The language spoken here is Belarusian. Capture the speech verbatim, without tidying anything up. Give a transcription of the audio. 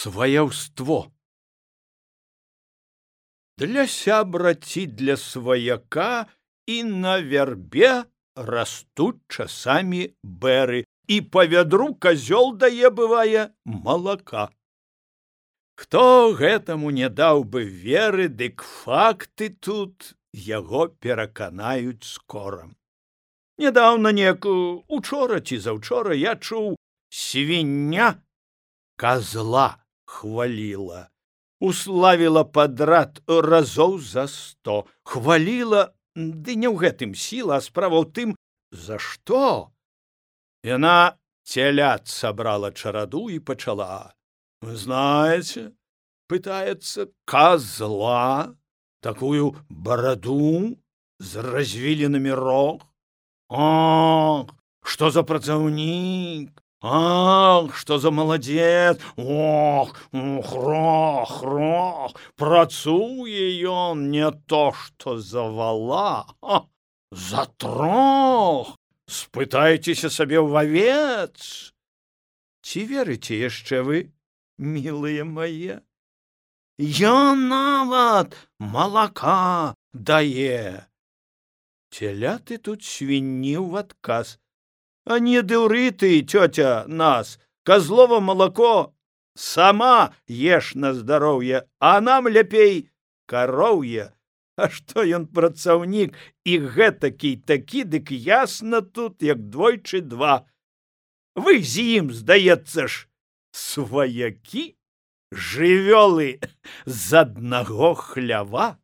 Сваяўство. Для сябра ці для сваяка і на вярбе растуць часамі бэры, і па вядру казёл дае, бывае, малака. Хто гэтаму не даў бы веры, дык факты тут яго пераканаюць скора. Нядаўна неяк, учора ці заўчора, я чуў, свіння казла хваліла, уславіла падрад разоў за сто, хваліла, ды не ў гэтым сіла, а справа ў тым, за што. Яна целят сабрала чараду і пачала. Вы знаете, пытается, козла, такую бороду с развилинами рог. Ах, что за працаўнік! Ах, что за молодец! Ох, хрох, хрох, працуе ён не то, что за вала, а за трох. Спытайцеся сабе ў авец. Ці верыце яшчэ вы, мілыя мае? Ён нават малака дае. Теляты тут свінні ў адказ. А не дуры ты, тётя, нас, козлово молоко сама ешь на здароўе, а нам лепей кароўе. А што ён працаўнік і гэтакі такі, дык ясна тут, як двойчы два. Вы з ім, здаецца ж, сваякі, жывёлы з аднаго хлява.